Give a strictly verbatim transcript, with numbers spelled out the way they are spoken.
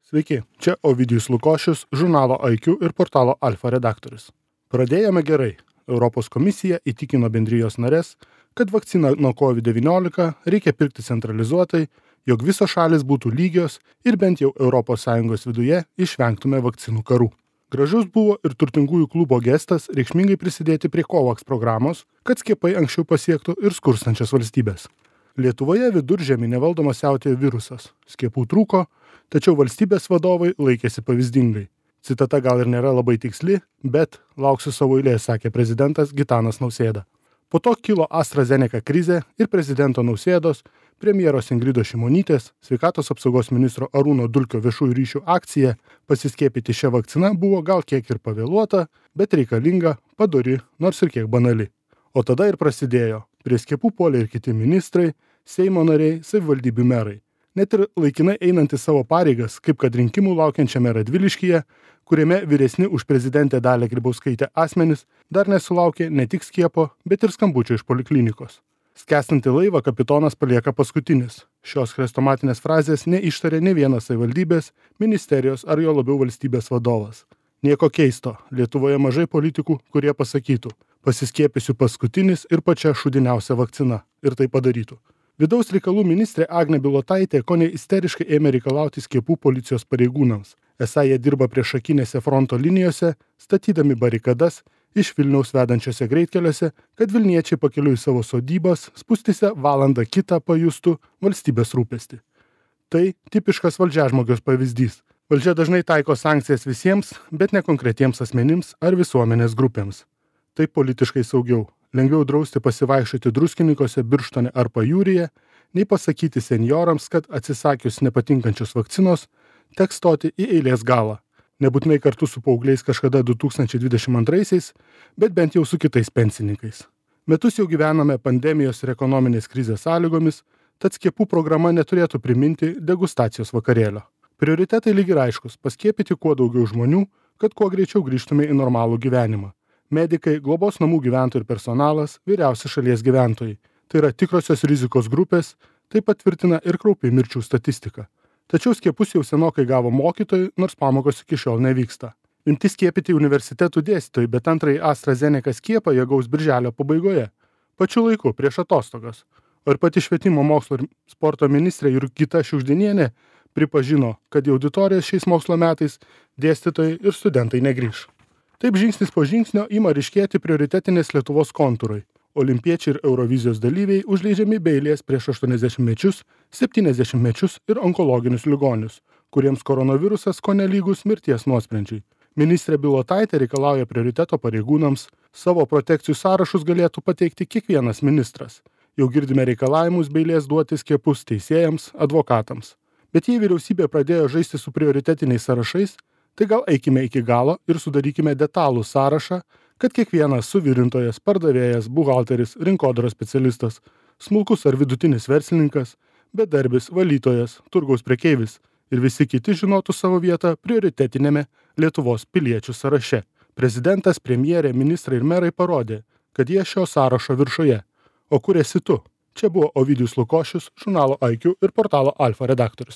Sveiki, čia Ovidijus Lukošius, žurnalo I Q ir portalo Alfa redaktorius. Pradėjome gerai. Europos komisija įtikino bendrijos narės, kad vakciną nuo COVID devyniolika reikia pirkti centralizuotai, jog visos šalis būtų lygios ir bent jau Europos Sąjungos viduje išvengtume vakcinų karų. Gražus buvo ir turtingųjų klubo gestas reikšmingai prisidėti prie COVAX programos, kad skiepai anksčiau pasiektų ir skurstančias valstybės. Lietuvoje viduržemį nevaldomas siautėjo virusas. Skiepų trūko, tačiau valstybės vadovai laikėsi pavyzdingai. Citata gal ir nėra labai tiksli, bet lauksiu savo eilės, sakė prezidentas Gitanas Nausėda. Po to kilo AstraZeneca krizė ir prezidento Nausėdos, premjeros Ingridos Šimonytės, sveikatos apsaugos ministro Arūno Dulkio viešųjų ryšių akcija pasiskiepyti šią vakciną buvo gal kiek ir pavėluota, bet reikalinga, padori, nors ir kiek banali. O tada ir prasidėjo. Prie skiepų puolė ir kiti ministrai, Seimo nariai, savivaldybių merai. Net ir laikinai einantys savo pareigas, kaip kad rinkimų laukiančiame Radviliškyje, kuriame vyresni už prezidentę Dalią Grybauskaitę asmenys dar nesulaukė ne tik skiepo, bet ir skambučio iš poliklinikos. Skęstantį laivą kapitonas palieka paskutinis. Šios chrestomatinės frazės neištarė ne vienas savivaldybės, ministerijos ar jo labiau valstybės vadovas. Nieko keisto, Lietuvoje mažai politikų, kurie pasakytų, pasiskiepysiu paskutinis ir pačia šūdiniausia vakcina, ir tai padarytų. Vidaus reikalų ministrė Agnė Bilotaitė kone isteriškai ėmė reikalauti skiepų policijos pareigūnams. Esą jie dirba priešakinėse fronto linijose, statydami barikadas iš Vilniaus vedančiose greitkeliuose, kad Vilniečiai pakeliui į savo sodybas spūstyse valandą kitą pajustų valstybės rūpestį. Tai tipiškas valdžiažmogios pavyzdys. Valdžia dažnai taiko sankcijas visiems, bet ne konkretiems asmenims ar visuomenės grupėms. Tai politiškai saugiau. Lengviau drausti pasivaikščioti Druskininkuose, Birštone ar Pajūryje, nei pasakyti senjorams, kad atsisakius nepatinkančios vakcinos, teks stoti į eilės galą. Nebūtinai kartu su paaugliais kažkada du tūkstančiai dvidešimt antraisiais, bet bent jau su kitais pensininkais. Metus jau gyvename pandemijos ir ekonominės krizės sąlygomis, tad skiepų programa neturėtų priminti degustacijos vakarėlio. Prioritetai lyg ir aiškus – paskiepyti kuo daugiau žmonių, kad kuo greičiau grįžtume į normalų gyvenimą. Medikai, globos namų gyventojai ir personalas, vyriausi šalies gyventojai. Tai yra tikrosios rizikos grupės, tai patvirtina ir kraupi mirčių statistika. Tačiau skiepus jau senokai gavo mokytojai, nors pamokos iki šiol nevyksta. Imti skiepyti universitetų dėstytojai, bet antrąjį AstraZeneca skiepą jie gaus birželio pabaigoje. Pačiu laiku, prieš atostogas. O ir pati švietimo mokslo ir sporto ministrė Jurgita Šiugždinienė pripažino, kad į auditorijas šiais mokslo metais dėstytojai ir studentai negrįš. Taip žingsnis po žingsnio ima ryškėti prioritetinės Lietuvos kontūrai. Olimpiečiai ir Eurovizijos dalyviai užleidžiami be eilės prieš aštuoniasdešimtmečius, septyniasdešimtmečius ir onkologinius ligonius, kuriems koronavirusas kone lygus mirties nuosprendžiai. Ministrė Bilotaitė reikalauja prioriteto pareigūnams, savo protekcijų sąrašus galėtų pateikti kiekvienas ministras. Jau girdime reikalavimus be eilės duoti skiepus teisėjams, advokatams. Bet jei vyriausybė pradėjo žaisti su prioritetiniais sąrašais, tai gal eikime iki galo ir sudarykime detalų sąrašą, kad kiekvienas suvirintojas, pardavėjas, buhalteris, rinkodaros specialistas, smulkus ar vidutinis verslininkas, bedarbis, valytojas, turgaus prekeivis ir visi kiti žinotų savo vietą prioritetinėme Lietuvos piliečių sąraše. Prezidentas, premjerė, ministrai ir merai parodė, kad jie šio sąrašo viršuje. O kur esi tu? Čia buvo Ovidijus Lukošius, žurnalo I Q ir portalo Alfa redaktorius.